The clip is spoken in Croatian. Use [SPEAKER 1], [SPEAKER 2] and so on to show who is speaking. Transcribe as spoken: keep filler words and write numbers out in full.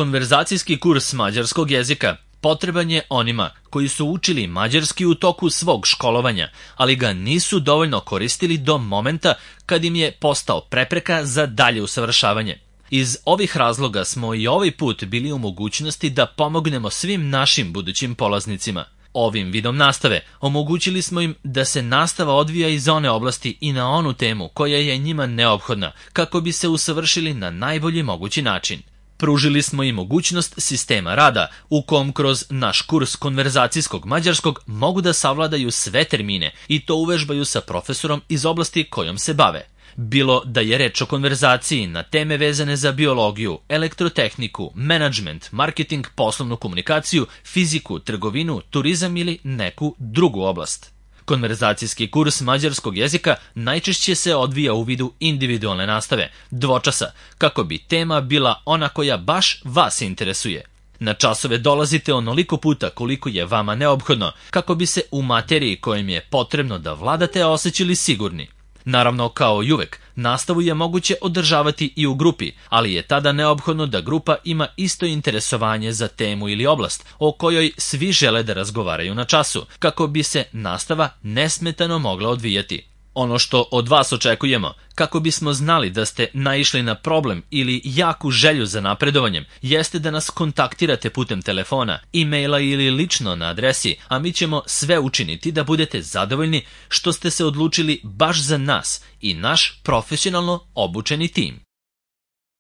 [SPEAKER 1] Konverzacijski kurs mađarskog jezika potreban je onima koji su učili mađarski u toku svog školovanja, ali ga nisu dovoljno koristili do momenta kad im je postao prepreka za dalje usavršavanje. Iz ovih razloga smo i ovaj put bili u mogućnosti da pomognemo svim našim budućim polaznicima. Ovim vidom nastave omogućili smo im da se nastava odvija iz one oblasti i na onu temu koja je njima neophodna kako bi se usavršili na najbolji mogući način. Pružili smo im mogućnost sistema rada u kom kroz naš kurs konverzacijskog mađarskog mogu da savladaju sve termine i to uvežbaju sa profesorom iz oblasti kojom se bave. Bilo da je reč o konverzaciji na teme vezane za biologiju, elektrotehniku, menadžment, marketing, poslovnu komunikaciju, fiziku, trgovinu, turizam ili neku drugu oblast. Konverzacijski kurs mađarskog jezika najčešće se odvija u vidu individualne nastave, dvočasa, kako bi tema bila ona koja baš vas interesuje. Na časove dolazite onoliko puta koliko je vama neophodno, kako bi se u materiji kojim je potrebno da vladate osjećali sigurni. Naravno, kao i uvek, nastavu je moguće održavati i u grupi, ali je tada neophodno da grupa ima isto interesovanje za temu ili oblast o kojoj svi žele da razgovaraju na času, kako bi se nastava nesmetano mogla odvijati. Ono što od vas očekujemo, kako bismo znali da ste naišli na problem ili jaku želju za napredovanjem, jeste da nas kontaktirate putem telefona, e-maila ili lično na adresi, a mi ćemo sve učiniti da budete zadovoljni što ste se odlučili baš za nas i naš profesionalno obučeni tim.